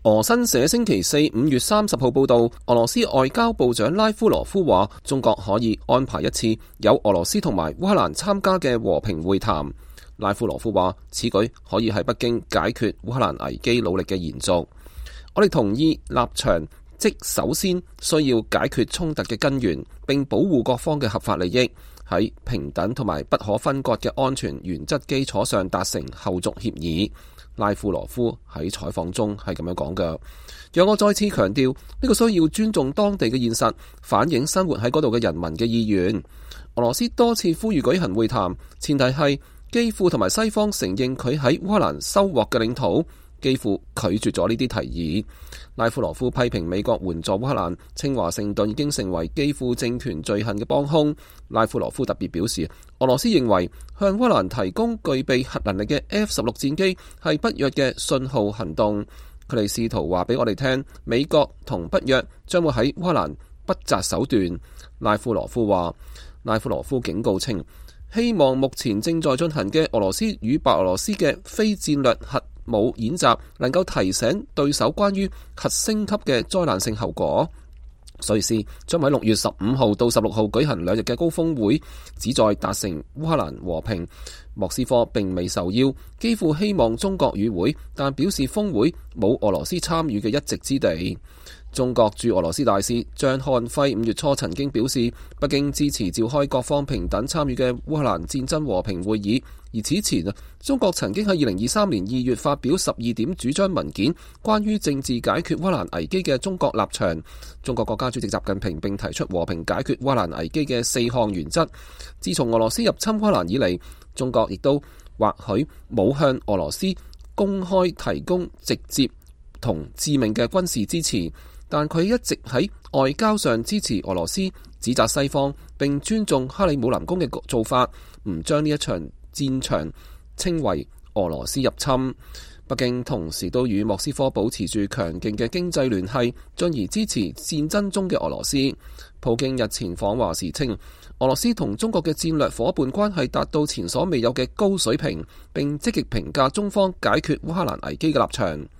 俄新社星期四5月30號報道，俄羅斯外交部長拉夫羅夫話，中國可以安排一次有俄羅斯同埋烏克蘭參加嘅和平會談。拉夫羅夫話，此舉可以喺北京解決烏克蘭危機努力嘅延續。我哋同意立場，即首先需要解決衝突嘅根源，並保護各方嘅合法利益，喺平等同埋不可分割嘅安全原則基礎上達成後續協議。拉夫羅夫喺採訪中係咁樣講嘅，讓我再次強調，呢個需要尊重當地嘅現實，反映生活喺嗰度嘅人民嘅意願。俄羅斯多次呼籲舉行會談，前提係基輔同埋西方承認佢喺烏克蘭收穫嘅領土。基輔拒絕咗呢啲提議。拉夫羅夫批評美國援助烏克蘭，稱華盛頓已經成為基輔政權罪行嘅幫兇。拉夫羅夫特別表示，俄羅斯認為向烏克蘭提供具備核能力嘅 F-16戰機係北約嘅信號行動。佢哋試圖話俾我哋聽，美國同北約將會喺烏克蘭不擇手段。拉夫羅夫警告稱，希望目前正在進行嘅俄羅斯與白俄羅斯嘅非戰略核武演習能夠提醒對手關於核升級嘅災難性後果。瑞士將喺6月15號到16號舉行2日嘅高峰會，旨在達成烏克蘭和平。莫斯科並未受邀，幾乎希望中國與會，但表示峰會冇俄羅斯參與嘅一席之地。中國駐俄羅斯大使張漢輝5月初曾經表示，北京支持召開各方平等參與嘅烏克蘭戰爭和平會議。而此前中國曾經喺2023年2月發表12點主張文件，關於政治解決烏克蘭危機嘅中國立場。中國國家主席習近平並提出和平解決烏克蘭危機嘅4項原則。自從俄羅斯入侵烏克蘭以嚟，中國亦都或許冇向俄羅斯公開提供直接同致命嘅軍事支持，但佢一直喺外交上支持俄羅斯，指責西方，並尊重克里姆林宮嘅做法，唔將呢一場戰場稱為俄羅斯入侵。北京同時都與莫斯科保持住強勁嘅經濟聯繫，進而支持戰爭中嘅俄羅斯。普京日前訪華時稱，俄羅斯同中國嘅戰略夥伴關係達到前所未有嘅高水平，並積極評價中方解決烏克蘭危機嘅立場。